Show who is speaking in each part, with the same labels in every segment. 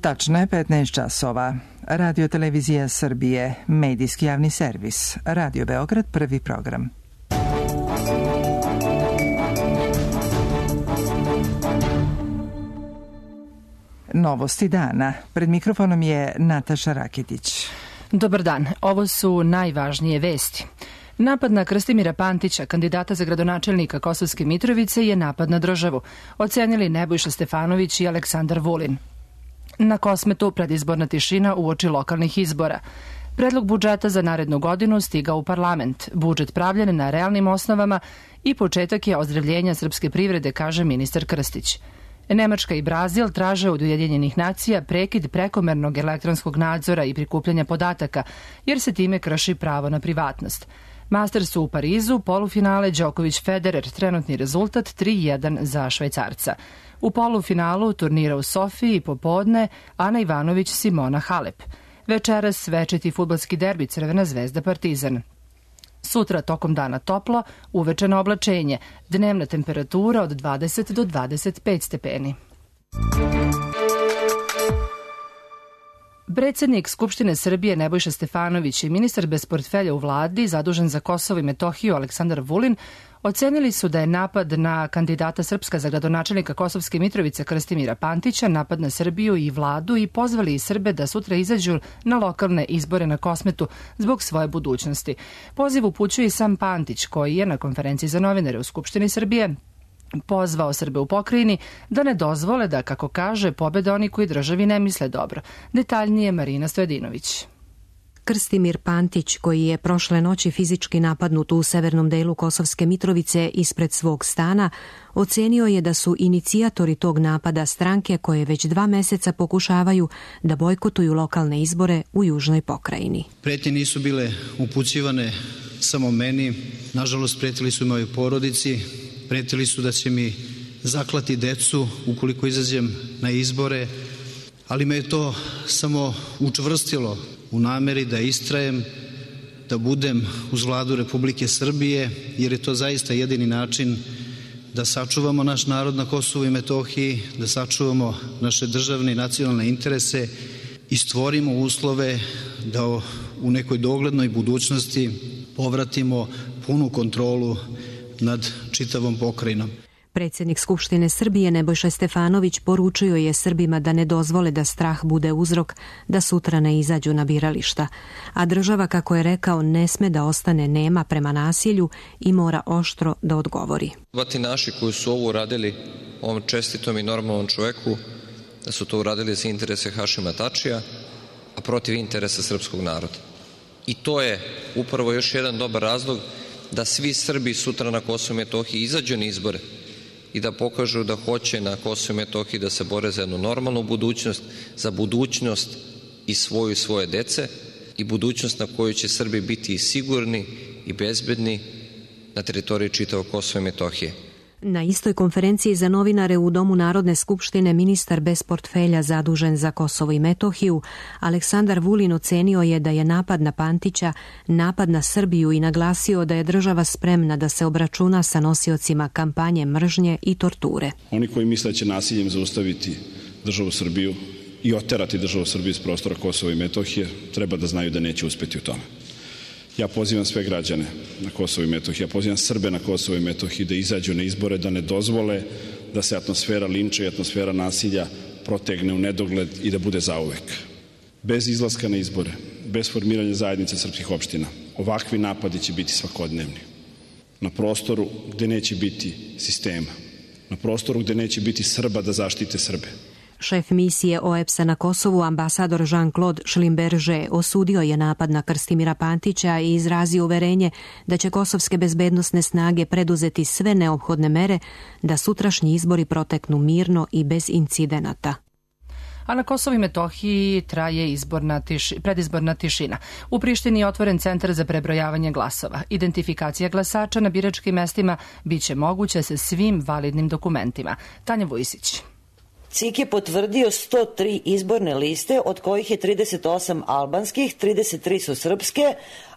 Speaker 1: Tačno je 15 časova. Radio Televizija Srbije, medijski javni servis. Radio Beograd, prvi program. Novosti dana. Pred mikrofonom je Nataša Raketić.
Speaker 2: Dobar dan. Ovo su najvažnije vesti. Napad na Krstimira Pantića, kandidata za gradonačelnika Kosovske Mitrovice, je napad na državu, ocenili Nebojša Stefanović i Aleksandar Vulin. Na Kosmetu predizborna tišina uoči lokalnih izbora. Predlog budžeta za narednu godinu stigao u parlament. Budžet pravljen na realnim osnovama i početak je ozdravljenja srpske privrede, kaže ministar Krstić. Nemačka i Brazil traže od Ujedinjenih nacija prekid prekomernog elektronskog nadzora i prikupljanja podataka, jer se time krši pravo na privatnost. Mastersu u Parizu, polufinale Đoković-Federer, trenutni rezultat 3-1 za Švajcarca. U polufinalu turnira u Sofiji popodne Ana Ivanović-Simona Halep. Večeras večiti fudbalski derbi Crvena zvezda Partizan. Sutra tokom dana toplo, uveče na oblačenje, dnevna temperatura od 20 do 25 stepeni. Predsednik Skupštine Srbije Nebojša Stefanović i ministar bez portfelja u vladi zadužen za Kosovo i Metohiju Aleksandar Vulin ocenili su da je napad na kandidata Srpska za gradonačelnika Kosovske Mitrovice Krstimira Pantića napad na Srbiju i vladu i pozvali i Srbe da sutra izađu na lokalne izbore na Kosmetu zbog svoje budućnosti. Poziv upućuje i sam Pantić, koji je na konferenciji za novinare u Skupštini Srbije pozvao Srbe u pokrajini da ne dozvole da, kako kaže, pobede oni koji državi ne misle dobro. Detaljnije Marina Stojadinović.
Speaker 3: Krstimir Pantić, koji je prošle noći fizički napadnut u severnom delu Kosovske Mitrovice ispred svog stana, ocenio je da su inicijatori tog napada stranke koje već 2 meseca pokušavaju da bojkotuju lokalne izbore u južnoj pokrajini.
Speaker 4: Pretnje nisu bile upućivane samo meni, nažalost pretili su mojoj porodici, pretili su da će mi zaklati decu ukoliko izađem na izbore, ali me je to samo učvrstilo u nameri da istrajem, da budem uz vladu Republike Srbije, jer je to zaista jedini način da sačuvamo naš narod na Kosovu i Metohiji, da sačuvamo naše državne i nacionalne interese i stvorimo uslove da u nekoj doglednoj budućnosti povratimo punu kontrolu nad čitavom pokrajinom.
Speaker 3: Predsjednik Skupštine Srbije Nebojša Stefanović poručio je Srbima da ne dozvole da strah bude uzrok da sutra ne izađu na birališta, a država, kako je rekao, ne sme da ostane nema prema nasilju i mora oštro da odgovori.
Speaker 5: Ti naši koji su ovo uradili ovom čestitom i normalnom čoveku, da su to uradili za interese Hašima Tačija, a protiv interesa srpskog naroda. I to je upravo još jedan dobar razlog da svi Srbi sutra na Kosovu i Metohiji izađu na izbore i da pokažu da hoće na Kosovu i Metohiji da se bore za jednu normalnu budućnost, za budućnost i svoju i svoje dece i budućnost na kojoj će Srbi biti i sigurni i bezbedni na teritoriji čitavog Kosova i Metohije.
Speaker 3: Na istoj konferenciji za novinare u Domu Narodne skupštine ministar bez portfelja zadužen za Kosovo i Metohiju Aleksandar Vulin ocenio je da je napad na Pantića napad na Srbiju i naglasio da je država spremna da se obračuna sa nosiocima kampanje mržnje i torture.
Speaker 6: Oni koji misle da će nasiljem zaustaviti državu Srbiju i oterati državu Srbiju iz prostora Kosova i Metohije treba da znaju da neće uspeti u tome. Ja pozivam sve građane na Kosovo i Metohiji, ja pozivam Srbe na Kosovo i Metohiji da izađu na izbore, da ne dozvole da se atmosfera linča i atmosfera nasilja protegne u nedogled i da bude zauvek. Bez izlaska na izbore, bez formiranja zajednice srpskih opština, ovakvi napadi će biti svakodnevni. Na prostoru gde neće biti sistema, na prostoru gde neće biti Srba da zaštite Srbe.
Speaker 3: Šef misije OEBS-a na Kosovu, ambasador Jean-Claude Schlimberger, osudio je napad na Krstimira Pantića i izrazio uverenje da će kosovske bezbednosne snage preduzeti sve neophodne mere da sutrašnji izbori proteknu mirno i bez incidenata.
Speaker 2: A na Kosovu i Metohiji traje predizborna tišina. U Prištini je otvoren centar za prebrojavanje glasova. Identifikacija glasača na biračkim mestima biće moguća sa svim validnim dokumentima. Tanja Vujsić.
Speaker 7: CIK je potvrdio 103 izborne liste, od kojih je 38 albanskih, 33 su srpske,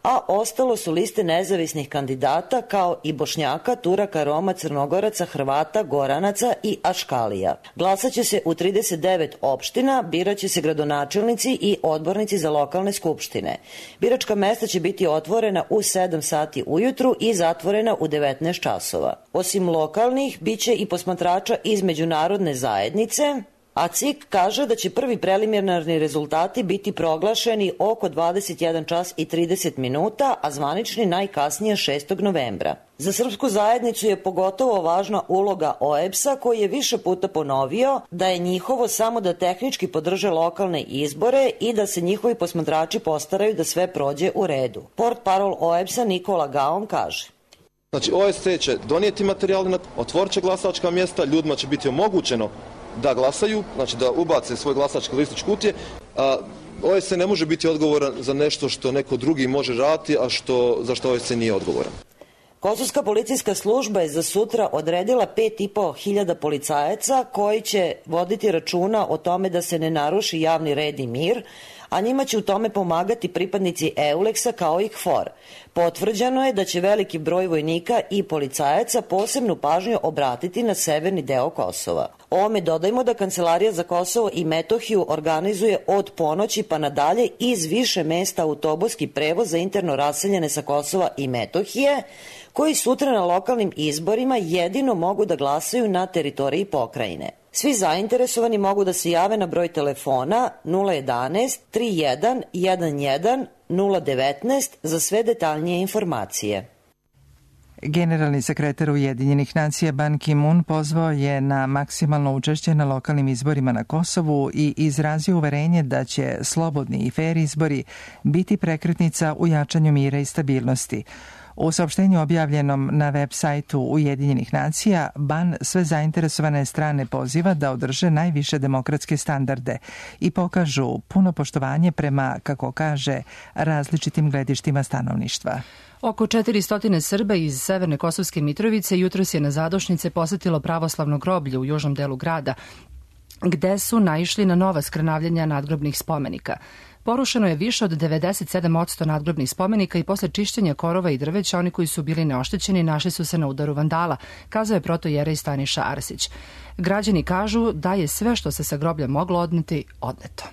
Speaker 7: a ostalo su liste nezavisnih kandidata kao i Bošnjaka, Turaka, Roma, Crnogoraca, Hrvata, Goranaca i Aškalija. Glasaće se u 39 opština, biraće se gradonačelnici i odbornici za lokalne skupštine. Biračka mesta će biti otvorena u 7 sati ujutru i zatvorena u 19 časova. Osim lokalnih, biće i posmatrača iz međunarodne zajednice, a CIK kaže da će prvi preliminarni rezultati biti proglašeni oko 21 čas i 30 minuta, a zvanični najkasnije 6. novembra. Za srpsku zajednicu je pogotovo važna uloga OEBS-a, koji je više puta ponovio da je njihovo samo da tehnički podrže lokalne izbore i da se njihovi posmatrači postaraju da sve prođe u redu. Portparol OEBS-a Nikola Gaon kaže:
Speaker 8: Znači, OSC će donijeti materijale, otvorit će glasačka mjesta, ljudima će biti omogućeno da glasaju, znači da ubace svoj glasački listić kutije. OSC ne može biti odgovoran za nešto što neko drugi može raditi, a za što OSC nije odgovoran.
Speaker 7: Kosovska policijska služba je za sutra odredila 5.500 policajaca koji će voditi računa o tome da se ne naruši javni red i mir, a njima će u tome pomagati pripadnici EULEX-a kao i KFOR. Potvrđeno je da će veliki broj vojnika i policajaca posebnu pažnju obratiti na severni deo Kosova. Ovome dodajmo da Kancelarija za Kosovo i Metohiju organizuje od ponoći pa nadalje iz više mesta autobuski prevoz za interno raseljene sa Kosova i Metohije, koji sutra na lokalnim izborima jedino mogu da glasaju na teritoriji pokrajine. Svi zainteresovani mogu da se jave na broj telefona 011 31 11 019 za sve detaljnije informacije.
Speaker 1: Generalni sekretar Ujedinjenih nacija Ban Ki-moon pozvao je na maksimalno učešće na lokalnim izborima na Kosovu i izrazio uverenje da će slobodni i fer izbori biti prekretnica u jačanju mira i stabilnosti. U saopštenju objavljenom na web sajtu Ujedinjenih nacija, Ban sve zainteresovane strane poziva da održe najviše demokratske standarde i pokažu puno poštovanje prema, kako kaže, različitim gledištima stanovništva.
Speaker 2: Oko 400 Srba iz Severne Kosovske Mitrovice jutros je na zadošnice posetilo pravoslavno groblje u južnom delu grada, gde su naišli na nova skrnavljenja nadgrobnih spomenika. Porušeno je više od 97% nadgrobnih spomenika i posle čišćenja korova i drveća oni koji su bili neoštećeni našli su se na udaru vandala, kazao je protojerej Staniša Arsić. Građani kažu da je sve što se sa groblja moglo odneti, odneto.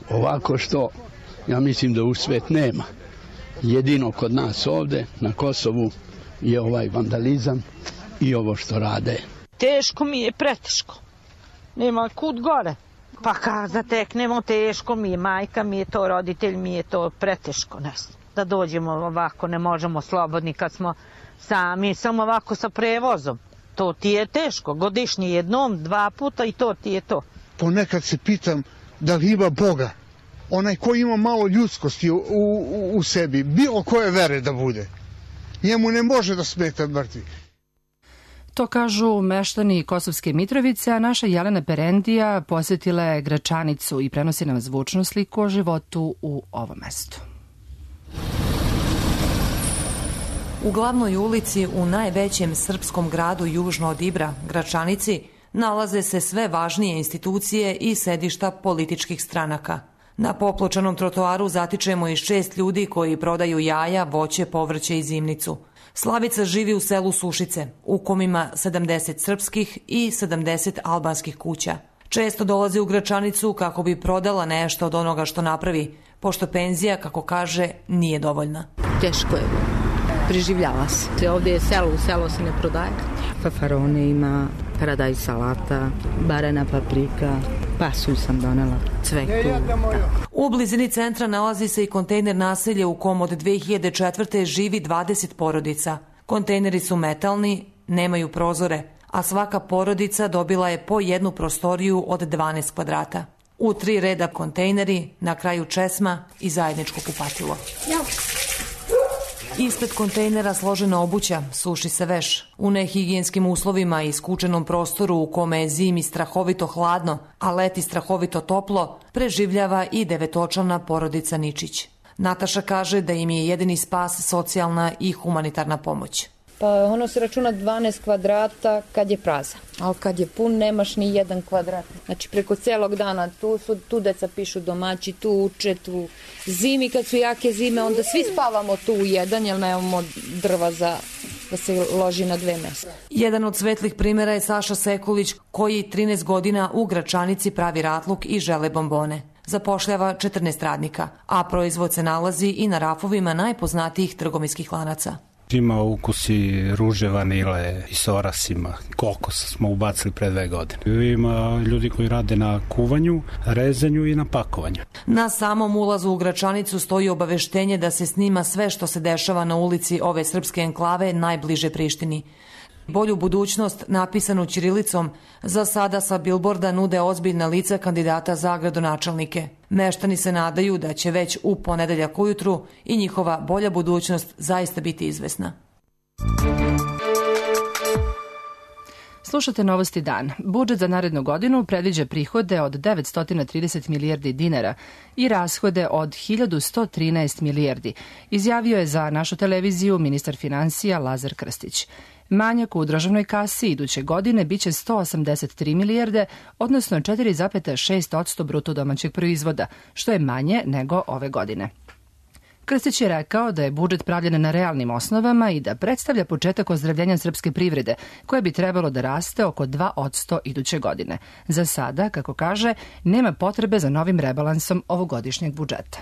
Speaker 9: Ovako što ja mislim da u svet nema. Jedino kod nas ovde na Kosovu je ovaj vandalizam i ovo što rade.
Speaker 10: Teško mi je, preteško. Nema kud gore. Pa kad zateknemo, teško mi je, majka mi je to, roditelj mi je to, preteško nas. Da dođemo ovako, ne možemo slobodni kad smo sami, samo ovako sa prevozom. To ti je teško, godišnje jednom, 2 puta i to ti je to.
Speaker 11: Ponekad se pitam da li ima Boga, onaj ko ima malo ljudskosti u sebi, bilo koje vere da bude. Njemu ne može da smeta mrtvi.
Speaker 2: To kažu meštani Kosovske Mitrovice, a naša Jelena Perendija posjetila je Gračanicu i prenosi nam zvučnu sliku o životu u ovom mestu.
Speaker 12: U glavnoj ulici u najvećem srpskom gradu južno od Ibra, Gračanici, nalaze se sve važnije institucije i sedišta političkih stranaka. Na popločanom trotoaru zatičemo i 6 ljudi koji prodaju jaja, voće, povrće i zimnicu. Slavica živi u selu Sušice, u kom ima 70 srpskih i 70 albanskih kuća. Često dolazi u Gračanicu kako bi prodala nešto od onoga što napravi, pošto penzija, kako kaže, nije dovoljna.
Speaker 13: Teško je. Preživljava se. Ovdje je selo se ne prodaje. Fafarone ima, paradajz salata, barana paprika, pasulj sam donela, cveku.
Speaker 12: U blizini centra nalazi se i kontejner naselje u kom od 2004. živi 20 porodica. Kontejneri su metalni, nemaju prozore, a svaka porodica dobila je po jednu prostoriju od 12 kvadrata. U 3 reda kontejneri, na kraju česma i zajedničko kupatilo. Ispred kontejnera složena obuća, suši se veš. U nehigijenskim uslovima i skučenom prostoru u kome je zimi strahovito hladno, a leti strahovito toplo, preživljava i 9-očlana porodica Ničić. Nataša kaže da im je jedini spas socijalna i humanitarna pomoć.
Speaker 14: Pa ono se računa 12 kvadrata kad je prazan, ali kad je pun nemaš ni 1 kvadrat. Znači preko celog dana tu deca pišu domaći, tu uče, tu zimi kad su jake zime, onda svi spavamo tu u jedan jer nemamo drva da se loži na 2 mesta.
Speaker 12: Jedan od svetlih primjera je Saša Sekulić koji 13 godina u Gračanici pravi ratluk i žele bombone. Zapošljava 14 radnika, a proizvod se nalazi i na rafovima najpoznatijih trgovinskih lanaca.
Speaker 15: Ima ukusi ruže, vanile i s orasima. Kokos smo ubacili pre 2 godine. Ima ljudi koji rade na kuvanju, rezanju i na pakovanju.
Speaker 12: Na samom ulazu u Gračanicu stoji obaveštenje da se snima sve što se dešava na ulici ove srpske enklave najbliže Prištini. Bolju budućnost, napisanu ćirilicom, za sada sa bilborda nude ozbiljna lica kandidata za gradonačelnike. Meštani se nadaju da će već u ponedeljak ujutru i njihova bolja budućnost zaista biti izvesna.
Speaker 2: Slušate Novosti dan. Budžet za narednu godinu predviđa prihode od 930 milijardi dinara i rashode od 1113 milijardi, izjavio je za našu televiziju ministar finansija Lazar Krstić. Manjak u državnoj kasi iduće godine biće 183 milijarde, odnosno 4,6% bruto domaćeg proizvoda, što je manje nego ove godine. Krstić je rekao da je budžet pravljen na realnim osnovama i da predstavlja početak ozdravljenja srpske privrede, koje bi trebalo da raste oko 2% iduće godine. Za sada, kako kaže, nema potrebe za novim rebalansom ovogodišnjeg budžeta.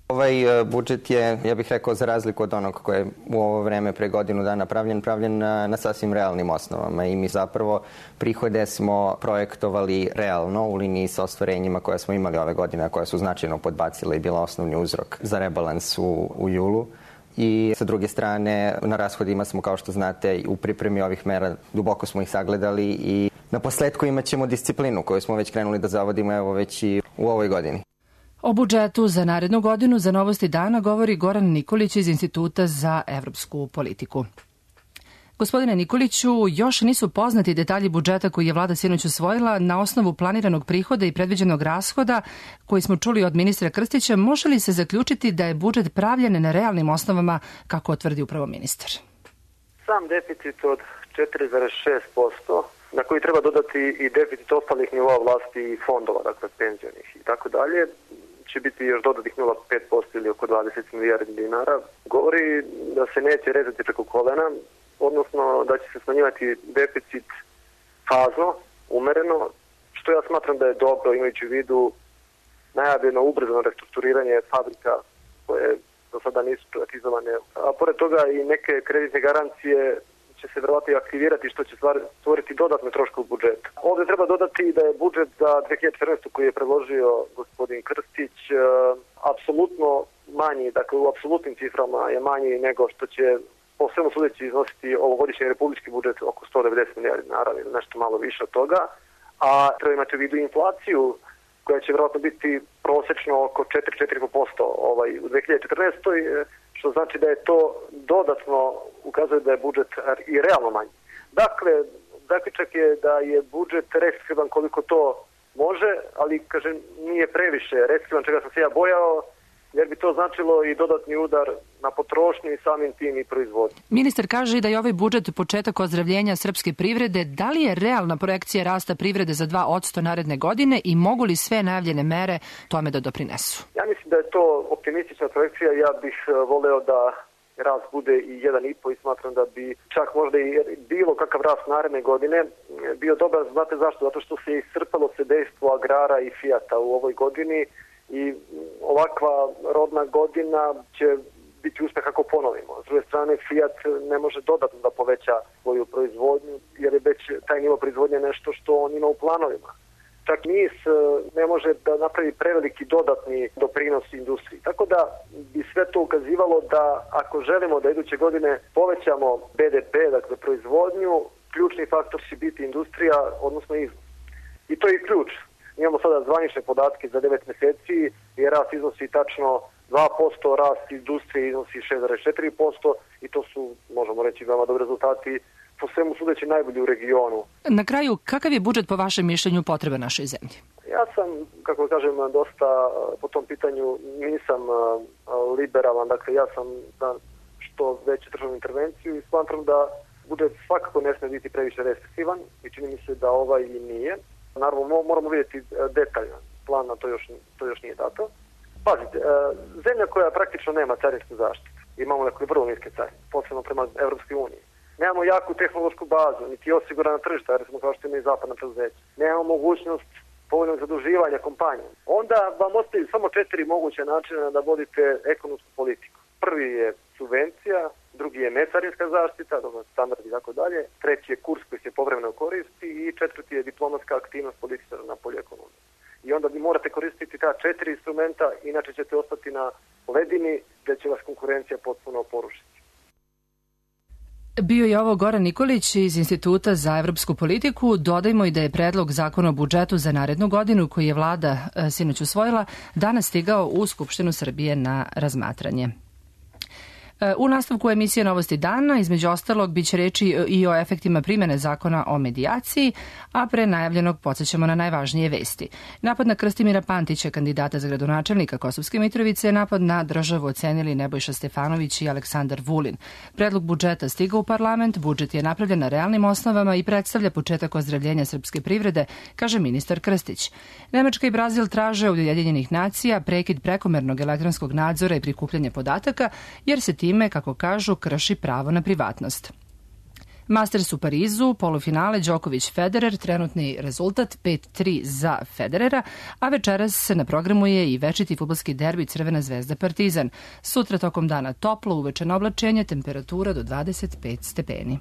Speaker 16: Ovaj budžet je, ja bih rekao, za razliku od onog koje je u ovo vreme pre godinu dana pravljen na sasvim realnim osnovama i mi zapravo prihode smo projektovali realno u liniji sa ostvarenjima koja smo imali ove godine, a koja su značajno podbacila i bila osnovni uzrok za rebalans u julu. I sa druge strane, na rashodima smo, kao što znate, u pripremi ovih mera duboko smo ih sagledali i na posledku imat ćemo disciplinu koju smo već krenuli da zavodimo evo već i u ovoj godini.
Speaker 2: O budžetu za narednu godinu za Novosti dana govori Goran Nikolić iz Instituta za evropsku politiku. Gospodine Nikoliću, još nisu poznati detalji budžeta koji je vlada sinoć usvojila na osnovu planiranog prihoda i predviđenog rashoda koji smo čuli od ministra Krstića. Može li se zaključiti da je budžet pravljen na realnim osnovama, kako tvrdi upravo ministar?
Speaker 17: Sam deficit od 4,6%, na koji treba dodati i deficit ostalih nivoa vlasti i fondova, dakle penzionih i tako dalje, će biti još dodatnih 0,5% ili oko 20 milijardi dinara. Govori da se neće rezati preko kolena, odnosno da će se smanjivati deficit fazno, umereno, što ja smatram da je dobro, imajući u vidu najavljeno ubrzano restrukturiranje fabrika koje do sada nisu privatizovane. A pored toga i neke kreditne garancije će se verovatno i aktivirati, što će stvoriti dodatne troškove u budžetu. Ovdje treba dodati da je budžet za 2014. koji je predložio gospodin Krstić apsolutno manji, dakle u apsolutnim ciframa je manji nego što će po svemu sudeći iznositi ovogodišnji republički budžet oko 190 milijardi dinara ili nešto malo više od toga, a treba imati u vidu inflaciju koja će verovatno biti prosečno oko 4,5% u 2014. Što znači da je to dodatno ukazuje da je budžet i realno manji. Dakle, zaključak je da je budžet restriktivan koliko to može, ali, kažem, nije previše restriktivan, čega sam se ja bojao, jer bi to značilo i dodatni udar na potrošnju i samim tim i proizvodnju.
Speaker 2: Ministar kaže da je ovaj budžet početak ozdravljenja srpske privrede. Da li je realna projekcija rasta privrede za 2% naredne godine i mogu li sve najavljene mere tome da doprinesu?
Speaker 17: Ja mislim da je to optimistična projekcija. Ja bih voleo da rast bude i 1,5 i smatram da bi čak možda i bilo kakav rast naredne godine bio dobar. Znate zašto? Zato što se iscrpalo se dejstvo agrara i Fijata u ovoj godini i ovakva rodna godina će biti uspeh ako ponovimo. S druge strane, Fiat ne može dodatno da poveća svoju proizvodnju, jer je već taj nivo proizvodnje nešto što on ima u planovima. Čak NIS ne može da napravi preveliki dodatni doprinos industriji. Tako da bi sve to ukazivalo da ako želimo da iduće godine povećamo BDP, dakle proizvodnju, ključni faktor će biti industrija, odnosno izvoz. I to je ključ. Imamo sada zvanične podatke za 9 meseci i rast iznosi tačno 2%, rast industrije iznosi 6,4% i to su, možemo reći, veoma dobri rezultati, po svemu sudeći najbolji u regionu.
Speaker 2: Na kraju, kakav je budžet po vašem mišljenju potreba našoj zemlji?
Speaker 17: Ja sam, kako kažem, dosta po tom pitanju nisam liberalan, dakle ja sam što veću državnu intervenciju i smatram da budžet svakako ne sme biti previše restriktivan i čini mi se da ovaj i nije. Naravno, moramo vidjeti detaljan plan, na to još nije dato. Pazite, zemlja koja praktično nema carinsku zaštitu, imamo neke vrlo niske carine, posebno prema Evropskoj uniji. Nemamo jaku tehnološku bazu, niti osigurana tržišta, jer smo kao što ima i zapadna preduzeća. Nemamo mogućnost povoljnog zaduživanja kompanije. Onda vam ostaju samo 4 moguće načina da vodite ekonomsku politiku. Prvi je subvencija, drugi je necarinska zaštita, standard i tako dalje, treći je kurs koji se povremeno koristi i četvrti je diplomatska aktivnost političara na polju ekonomije. I onda vi morate koristiti ta 4 instrumenta, inače ćete ostati na ledini gdje će vas konkurencija potpuno porušiti.
Speaker 2: Bio je ovo Goran Nikolić iz Instituta za evropsku politiku. Dodajmo i da je predlog zakona o budžetu za narednu godinu, koji je vlada sinoć usvojila, danas stigao u Skupštinu Srbije na razmatranje. U nastavku emisije Novosti dana, između ostalog, biće reči i o efektima primjene zakona o medijaciji, a pre najavljenog podsjećamo na najvažnije vesti. Napad na Krstimira Pantića, kandidata za gradonačelnika Kosovske Mitrovice, napad na državu ocenili Nebojša Stefanović i Aleksandar Vulin. Predlog budžeta stigao u parlament, budžet je napravljen na realnim osnovama i predstavlja početak ozdravljenja srpske privrede, kaže ministar Krstić. Nemačka i Brazil traže od Ujedinjenih nacija prekid prekomernog elektronskog nadzora i prikupljanja podataka, jer se time, kako kažu, krši pravo na privatnost. Masters u Parizu, polufinale Đoković-Federer, trenutni rezultat 5-3 za Federera, a večeras na programu je i večiti fudbalski derbi Crvena zvezda Partizan. Sutra tokom dana toplo, uvečeno oblačenje, temperatura do 25 stepeni.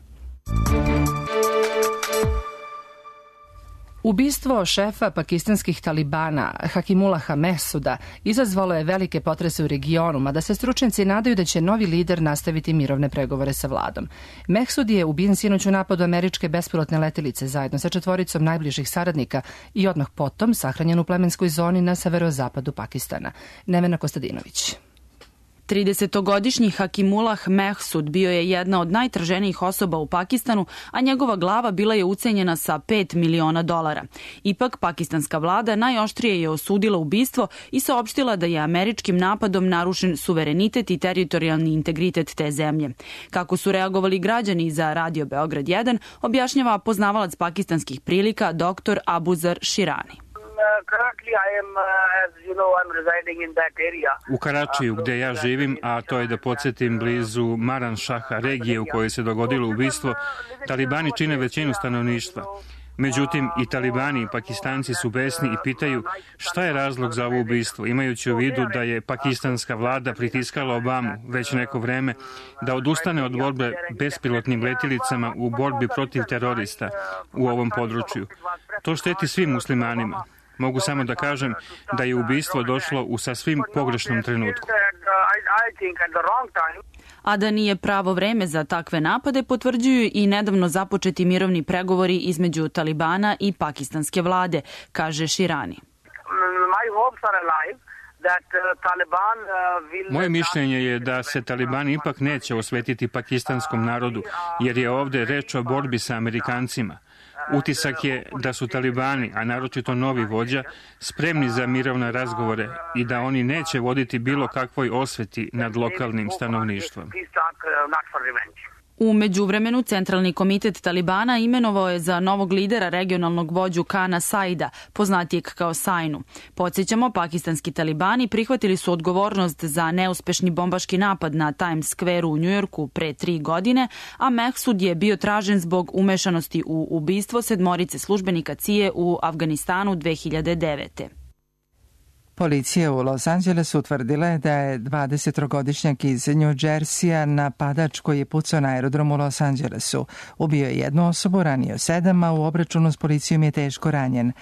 Speaker 2: Ubistvo šefa pakistanskih talibana Hakimulaha Mehsuda izazvalo je velike potrese u regionu, mada se stručnjaci nadaju da će novi lider nastaviti mirovne pregovore sa vladom. Mehsud je ubijen sinoć u napadu američke bespilotne letelice zajedno sa 4 najbližih saradnika i odmah potom sahranjen u plemenskoj zoni na severozapadu Pakistana. Nevena Kostadinović.
Speaker 18: 30-godišnji Hakimullah Mehsud bio je jedna od najtraženijih osoba u Pakistanu, a njegova glava bila je ucenjena sa $5 miliona. Ipak, pakistanska vlada najoštrije je osudila ubistvo i saopštila da je američkim napadom narušen suverenitet i teritorijalni integritet te zemlje. Kako su reagovali građani za Radio Beograd 1, objašnjava poznavalac pakistanskih prilika dr. Abuzar Shirani.
Speaker 19: U Karačiju, gde ja živim, a to je, da podsjetim, blizu Maran Šaha, regije u kojoj se dogodilo ubistvo, talibani čine većinu stanovništva. Međutim, i talibani i Pakistanci su besni i pitaju šta je razlog za ovo ubistvo, imajući u vidu da je pakistanska vlada pritiskala Obamu već neko vreme da odustane od borbe bespilotnim letjelicama u borbi protiv terorista u ovom području. To šteti svim muslimanima. Mogu samo da kažem da je ubistvo došlo u sasvim pogrešnom trenutku.
Speaker 18: A da nije pravo vreme za takve napade potvrđuju i nedavno započeti mirovni pregovori između Talibana i pakistanske vlade, kaže Shirani.
Speaker 19: Moje mišljenje je da se talibani ipak neće osvetiti pakistanskom narodu, jer je ovde reč o borbi sa Amerikancima. Utisak je da su talibani, a naročito novi vođa, spremni za mirovne razgovore i da oni neće voditi bilo kakvoj osveti nad lokalnim stanovništvom.
Speaker 18: U međuvremenu, Centralni komitet Talibana imenovao je za novog lidera regionalnog vođu Kana Saida, poznatijeg kao Sainu. Podsjećamo, pakistanski talibani prihvatili su odgovornost za neuspešni bombaški napad na Times Square u Njujorku pre 3 godine, a Mehsud je bio tražen zbog umešanosti u ubistvo 7 službenika CIA u Afganistanu 2009.
Speaker 1: Policija u Los Angelesu utvrdila je da je 23-godišnjak iz New Jersey-a napadač koji je pucao na aerodromu u Los Angelesu. Ubio je 1 osobu, ranio 7, a u obračunu s policijom je teško ranjen.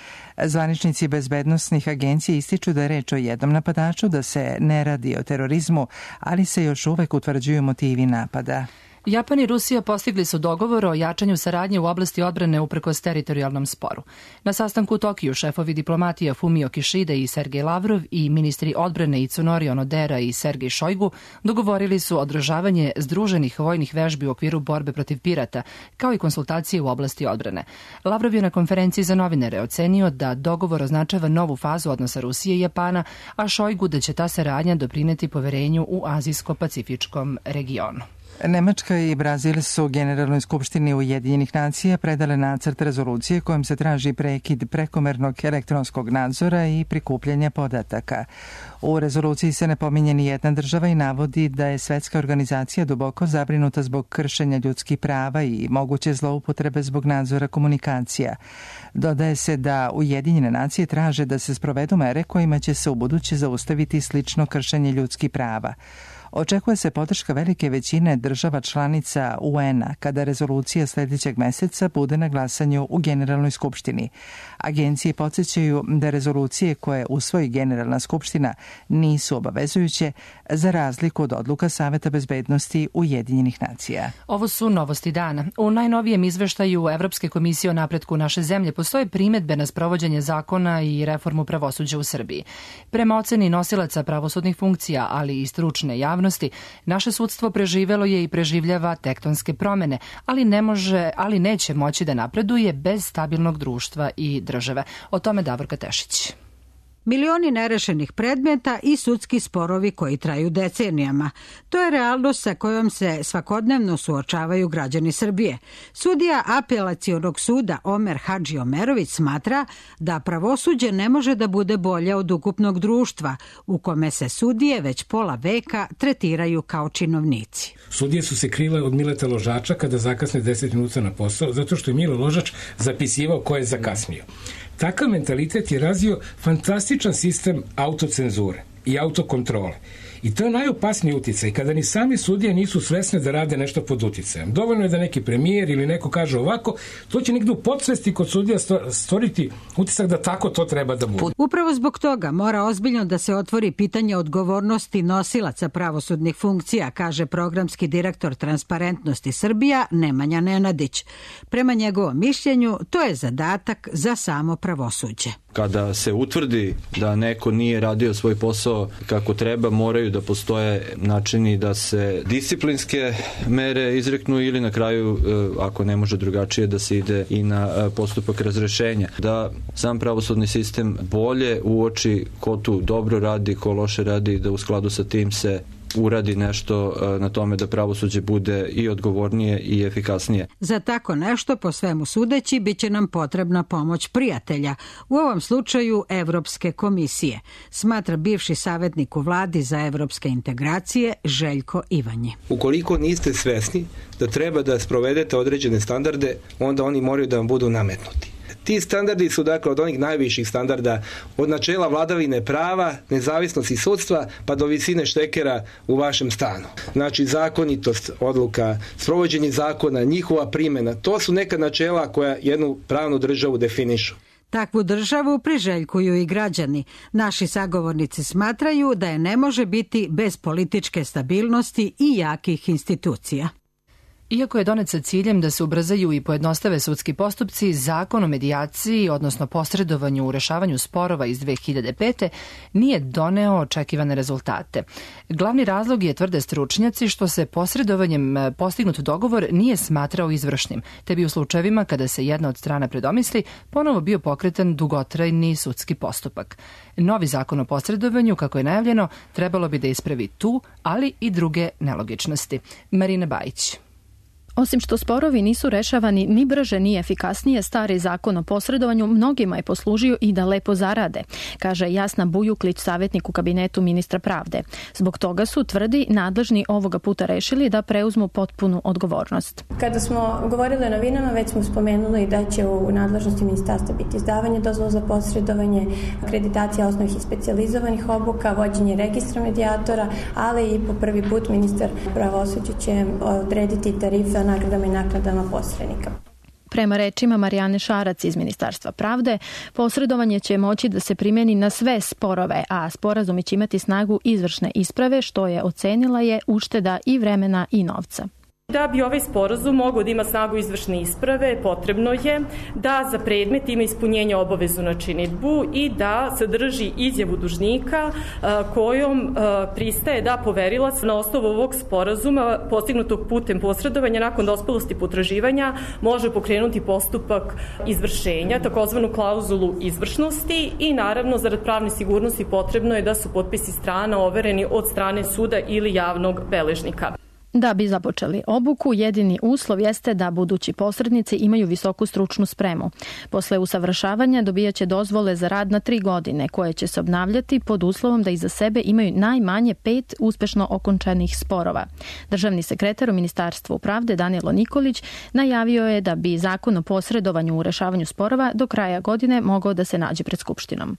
Speaker 1: Zvaničnici bezbednosnih agencija ističu da je reč o jednom napadaču, da se ne radi o terorizmu, ali se još uvek utvrđuju motivi napada.
Speaker 2: Japan i Rusija postigli su dogovor o jačanju saradnje u oblasti odbrane uprkos teritorijalnom sporu. Na sastanku u Tokiju šefovi diplomatija Fumio Kishida i Sergej Lavrov i ministri odbrane Itsunori Onodera i Sergej Šojgu dogovorili su održavanje združenih vojnih vežbi u okviru borbe protiv pirata, kao i konsultacije u oblasti odbrane. Lavrov je na konferenciji za novinare ocenio da dogovor označava novu fazu odnosa Rusije i Japana, a Šojgu da će ta saradnja doprineti poverenju u azijsko-pacifičkom regionu.
Speaker 1: Nemačka i Brazil su Generalnoj skupštini Ujedinjenih nacija predale nacrt rezolucije kojom se traži prekid prekomernog elektronskog nadzora i prikupljanja podataka. U rezoluciji se ne pominje ni jedna država i navodi da je svetska organizacija duboko zabrinuta zbog kršenja ljudskih prava i moguće zloupotrebe zbog nadzora komunikacija. Dodaje se da Ujedinjene nacije traže da se sprovedu mere kojima će se ubuduće zaustaviti slično kršenje ljudskih prava. Očekuje se podrška velike većine država članica UN-a kada rezolucija sljedećeg meseca bude na glasanju u Generalnoj skupštini. Agencije podsjećaju da rezolucije koje usvoji Generalna skupština nisu obavezujuće za razliku od odluka Saveta bezbednosti Ujedinjenih nacija.
Speaker 2: Ovo su novosti dana. U najnovijem izveštaju Evropske komisije o napretku naše zemlje postoje primedbe na sprovođenje zakona i reformu pravosuđa u Srbiji. Prema oceni nosilaca pravosudnih funkcija, ali i stručne javnosti, naše sudstvo preživelo je i preživljava tektonske promene, ali neće moći da napreduje bez stabilnog društva i države. O tome Davorka Tešić.
Speaker 20: Milioni nerešenih predmeta i sudski sporovi koji traju decenijama. To je realnost sa kojom se svakodnevno suočavaju građani Srbije. Sudija Apelacionog suda Omer Hadži Omerović smatra da pravosuđe ne može da bude bolje od ukupnog društva, u kome se sudije već pola veka tretiraju kao činovnici.
Speaker 21: Sudije su se krile od Mileta Ložača kada zakasne 10 minuta na posao, zato što je Milo Ložač zapisivao ko je zakasnio. Takav mentalitet je razvio fantastičan sistem autocenzure i autokontrole. I to je najopasniji uticaj, kada ni sami sudije nisu svesne da rade nešto pod uticajem. Dovoljno je da neki premijer ili neko kaže ovako, to će negdje u podsvesti kod sudija stvoriti utisak da tako to treba da bude.
Speaker 20: Upravo zbog toga mora ozbiljno da se otvori pitanje odgovornosti nosilaca pravosudnih funkcija, kaže programski direktor Transparentnosti Srbija Nemanja Nenadić. Prema njegovom mišljenju, to je zadatak za samo pravosuđe.
Speaker 22: Kada se utvrdi da neko nije radio svoj posao kako treba, moraju da postoje načini da se disciplinske mere izreknu ili na kraju, ako ne može drugačije, da se ide i na postupak razrešenja. Da sam pravosudni sistem bolje uoči ko tu dobro radi, ko loše radi, da u skladu sa tim se uradi nešto na tome da pravosuđe bude i odgovornije i efikasnije.
Speaker 20: Za tako nešto, po svemu sudeći, bit će nam potrebna pomoć prijatelja, u ovom slučaju Evropske komisije, smatra bivši savjetnik u vladi za evropske integracije Željko Ivanji.
Speaker 23: Ukoliko niste svesni da treba da sprovedete određene standarde, onda oni moraju da vam budu nametnuti. Ti standardi su dakle od onih najviših standarda, od načela vladavine prava, nezavisnosti sudstva, pa do visine štekera u vašem stanu. Znači zakonitost odluka, sprovođenje zakona, njihova primjena, to su neka načela koja jednu pravnu državu definišu.
Speaker 20: Takvu državu priželjkuju i građani. Naši sagovornici smatraju da je ne može biti bez političke stabilnosti i jakih institucija.
Speaker 2: Iako je donet sa ciljem da se ubrzaju i pojednostave sudski postupci, zakon o medijaciji, odnosno posredovanju u rešavanju sporova iz 2005. nije doneo očekivane rezultate. Glavni razlog je, tvrde stručnjaci, što se posredovanjem postignut dogovor nije smatrao izvršnim, te bi u slučajevima kada se jedna od strana predomisli, ponovo bio pokretan dugotrajni sudski postupak. Novi zakon o posredovanju, kako je najavljeno, trebalo bi da ispravi tu, ali i druge nelogičnosti. Marina Bajić.
Speaker 24: Osim što sporovi nisu rešavani ni brže ni efikasnije, stari zakon o posredovanju mnogima je poslužio i da lepo zarade, kaže Jasna Bujuklić, savjetnik u kabinetu ministra pravde. Zbog toga su, tvrdi, nadležni ovoga puta rešili da preuzmu potpunu odgovornost.
Speaker 25: Kada smo govorili o novinama, već smo spomenuli da će u nadležnosti ministarstva biti izdavanje dozvola za posredovanje, akreditacija osnovnih i specijalizovanih obuka, vođenje registra medijatora, ali i po prvi put ministar pravosuđa će odrediti tarife nagradama i naknadama posrednika.
Speaker 24: Prema rečima Marijane Šarac iz Ministarstva pravde, posredovanje će moći da se primjeni na sve sporove, a sporazumi će imati snagu izvršne isprave, što je ocenila je ušteda i vremena i novca.
Speaker 26: Da bi ovaj sporazum mogao da ima snagu izvršne isprave, potrebno je da za predmet ima ispunjenje obavezu na činidbu i da sadrži izjavu dužnika kojom pristaje da poverilac na osnovu ovog sporazuma postignutog putem posredovanja nakon dospelosti potraživanja može pokrenuti postupak izvršenja, takozvanu klauzulu izvršnosti, i naravno zarad pravne sigurnosti potrebno je da su potpisi strana overeni od strane suda ili javnog beležnika.
Speaker 24: Da bi započeli obuku, jedini uslov jeste da budući posrednici imaju visoku stručnu spremu. Posle usavršavanja dobijaće dozvole za rad na 3 godine, koje će se obnavljati pod uslovom da iza sebe imaju najmanje 5 uspešno okončanih sporova. Državni sekretar u Ministarstvu pravde Danilo Nikolić najavio je da bi zakon o posredovanju u rešavanju sporova do kraja godine mogao da se nađe pred Skupštinom.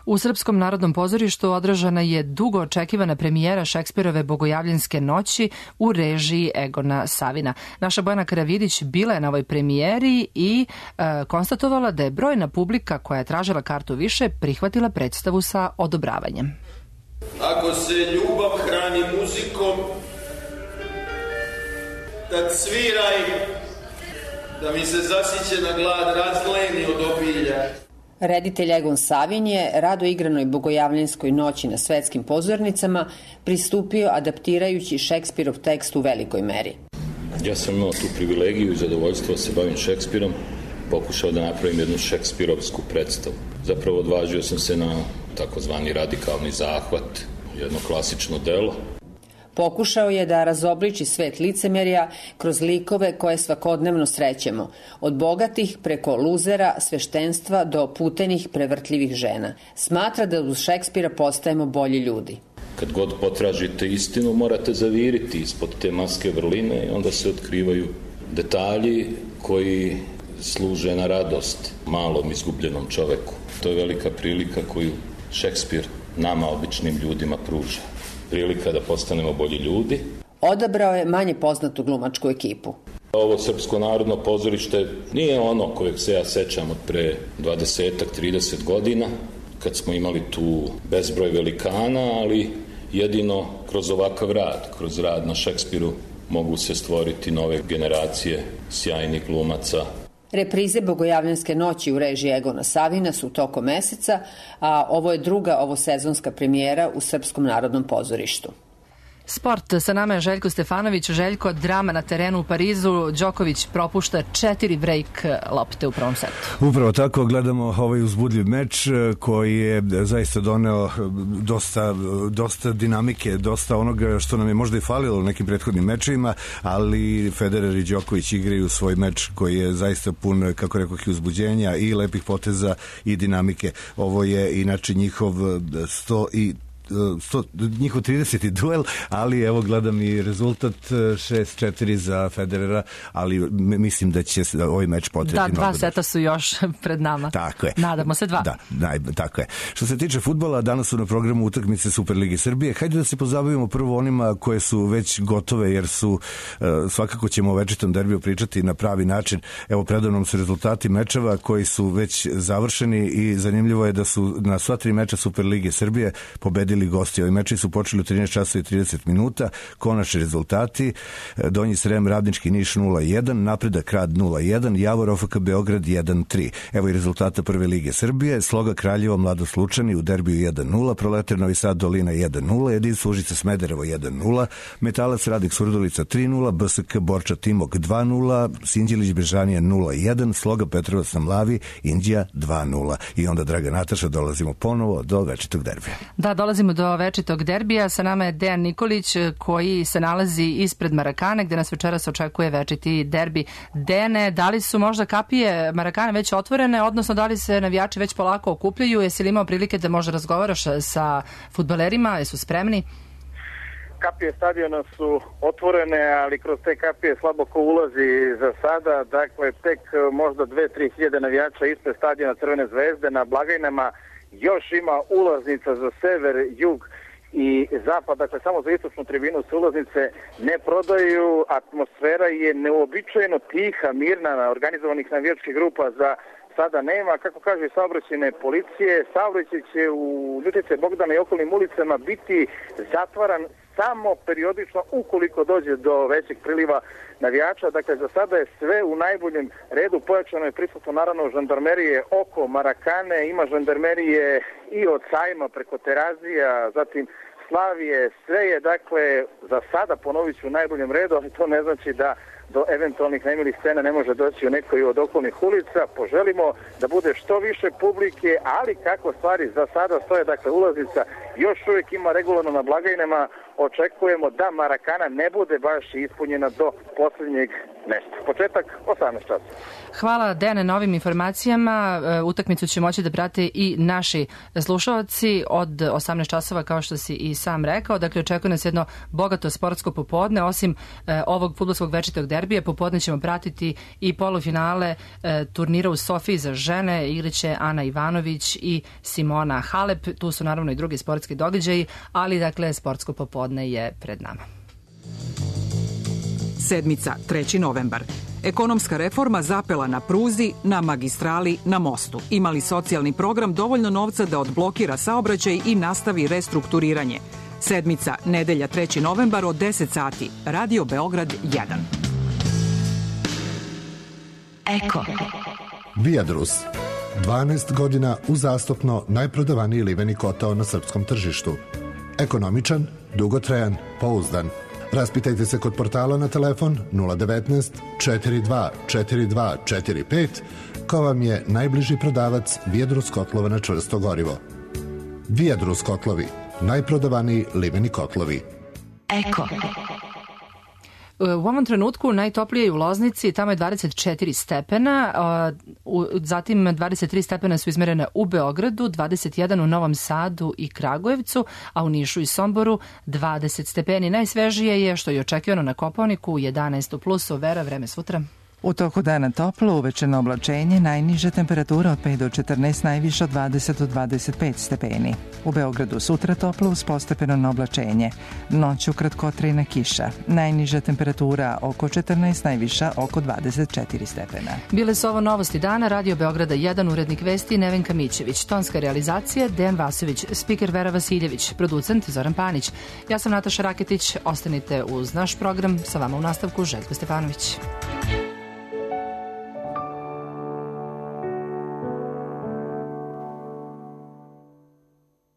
Speaker 24: U Srpskom narodnom pozorištu održana je dugo očekivana premijera Šekspirove Bogojavljanske noći u režiji Egona Savina. Naša Bojana Karavidić bila je na ovoj premijeri i konstatovala da je brojna publika koja je tražila kartu više prihvatila predstavu sa odobravanjem.
Speaker 3: Ako se ljubav hrani muzikom, tad sviraj, da mi se zasićena glad razleni od obilja.
Speaker 4: Reditelj Egon Savin je rado igranoj Bogojavljanskoj noći na svetskim pozornicama pristupio adaptirajući Šekspirov tekst u velikoj meri.
Speaker 5: Ja sam imao tu privilegiju i zadovoljstvo da se bavim Šekspirom, pokušao da napravim jednu šekspirovsku predstavu. Zapravo odvažio sam se na takozvani radikalni zahvat, jedno klasično delo.
Speaker 4: Pokušao je da razobliči svet licemerja kroz likove koje svakodnevno srećemo, od bogatih preko luzera, sveštenstva do putenih prevrtljivih žena. Smatra da uz Šekspira postajemo bolji ljudi.
Speaker 5: Kad god potražite istinu, morate zaviriti ispod te maske vrline i onda se otkrivaju detalji koji služe na radost malom izgubljenom čoveku. To je velika prilika koju Šekspir nama, običnim ljudima, pruža. Prilika da postanemo bolji ljudi.
Speaker 4: Odabrao je manje poznatu glumačku ekipu.
Speaker 5: Ovo Srpsko narodno pozorište nije ono kojeg se ja sećam od pre 20-30 godina, kad smo imali tu bezbroj velikana, ali jedino kroz ovakav rad, kroz rad na Šekspiru, mogu se stvoriti nove generacije sjajnih glumaca.
Speaker 4: Reprize Bogojavljanske noći u režiji Egona Savina su tokom meseca, a ovo je druga ovosezonska premijera u Srpskom narodnom pozorištu.
Speaker 2: Sport, sa nama je Željko Stefanović. Željko, drama na terenu u Parizu. Đoković propušta 4 break lopte u prvom setu.
Speaker 6: Upravo tako, gledamo ovaj uzbudljiv meč koji je zaista doneo dosta dinamike, dosta onoga što nam je možda i falilo u nekim prethodnim mečevima, ali Federer i Đoković igraju svoj meč koji je zaista pun, kako rekoh, i uzbuđenja i lepih poteza i dinamike. Ovo je inače njihov njihov 30. duel, ali evo gledam i rezultat 6-4 za Federera, ali mislim da će ovaj meč potreti.
Speaker 2: Da, 2 seta su još pred nama.
Speaker 6: Tako je.
Speaker 2: Nadamo se 2.
Speaker 6: Da, tako je. Što se tiče fudbala, danas su na programu utakmice Superlige Srbije. Hajde da se pozabavimo prvo onima koje su već gotove, jer su svakako ćemo o večitom derbiju pričati na pravi način. Evo, predavnom su rezultati mečeva koji su već završeni i zanimljivo je da su na sva 3 meča Superlige Srbije pobedili gosti. Ovi meči su počeli u 13 časova i 30 minuta. Konačni rezultati: Donji Srem, Radnički Niš 0-1, Napredak Rad 0-1, Javor OFK Beograd 1-3. Evo i rezultata Prve lige Srbije: Sloga Kraljevo, Mladost Lučani u derbiju 1-0, Proletar Novi Sad Dolina 1-0, Jedinstvo Užice Smederevo 1-0, Metalac Radnik Surdulica 3-0, BSK Borča Timok 2-0, Sinđelić Bežanija 0-1, Sloga Petrovac na Mlavi Indija 2-0. I onda, draga Nataša, dolazimo ponovo do večitog derbija.
Speaker 2: Da, dolazimo do večitog derbija. Sa nama je Dejan Nikolić koji se nalazi ispred Marakane gde nas večeras očekuje večiti derbi. Dejane, da li su možda kapije Marakane već otvorene, odnosno da li se navijači već polako okupljaju? Jesi li imao prilike da možda razgovaraš sa fudbalerima? Jesu spremni?
Speaker 7: Kapije stadiona su otvorene, ali kroz te kapije slabo ko ulazi za sada. Dakle, tek možda 2-3 hiljade navijača ispred stadiona Crvene zvezde. Na blagajnama još ima ulaznica za sever, jug i zapad, dakle samo za istočnu tribinu se ulaznice ne prodaju. Atmosfera je neobičajeno tiha, mirna, organizovanih navijačkih grupa za sada nema. Kako kaže saobraćajne policije, saobraćaj će u Ljutice, Bogdana i okolnim ulicama biti zatvaran samo periodično ukoliko dođe do većeg priliva navijača. Dakle, za sada je sve u najboljem redu. Pojačano je prisutno naravno žandarmerije oko Marakane, ima žandarmerije i od sajma preko Terazija, zatim Slavije, sve je dakle za sada, ponovit ću, u najboljem redu, ali to ne znači da do eventualnih nemilih scena ne može doći u nekoj od okolnih ulica. Poželimo da bude što više publike, ali kako stvari za sada stoje, dakle ulaznica još uvijek ima regularno na blagajnama. Očekujemo da Marakana ne bude baš ispunjena do posljednjeg mesta. Početak 18 časa.
Speaker 2: Hvala Dene na ovim informacijama. Utakmicu će moći da prate i naši slušalci od 18 časova, kao što si i sam rekao. Dakle, očekuje nas jedno bogato sportsko popodne. Osim ovog fudbalskog večitog derbija, popodne ćemo pratiti i polufinale turnira u Sofiji za žene. Igraće Ana Ivanović i Simona Halep. Tu su naravno i drugi sportski događaji, ali dakle sportsko popodne je pred nama.
Speaker 8: Sedmica, 3. novembar. Ekonomska reforma zapela na pruzi, na magistrali, na mostu. Imali socijalni program dovoljno novca da odblokira saobraćaj i nastavi restrukturiranje. Sedmica, nedelja 3. novembar od 10 sati. Radio Beograd 1.
Speaker 9: Eko. Viadrus. 12 godina uzastopno najprodavaniji liveni kotao na srpskom tržištu. Ekonomičan, dugotrajan, pouzdan. Raspitajte se kod portala na telefon 019 42 42 45 ko vam je najbliži prodavac Viadrus kotlova na čvrsto gorivo. Viadrus kotlovi, najprodavaniji liveni kotlovi. Eko.
Speaker 2: U ovom trenutku najtoplije je u Loznici, tamo je 24 stepena, zatim 23 stepena su izmerene u Beogradu, 21 u Novom Sadu i Kragujevcu, a u Nišu i Somboru 20 stepeni. Najsvežije je, što je očekivano na Kopaoniku, 11 u plusu. Vera, vreme sutra.
Speaker 1: U toku dana toplo, uvečerno oblačenje, najniža temperatura od 5 do 14, najviša od 20 do 25 stepeni. U Beogradu sutra toplo uz postepeno oblačenje. Noću kratkotrajna kiša. Najniža temperatura oko 14, najviša oko 24 stepena.
Speaker 2: Bile su ovo novosti dana. Radio Beograda 1, urednik vesti Nevenka Mićević. Tonska realizacija Dejan Vasović, spiker Vera Vasiljević, producent Zoran Panić. Ja sam Nataša Raketić. Ostanite uz naš program. Sa vama u nastavku Željko Stefanović.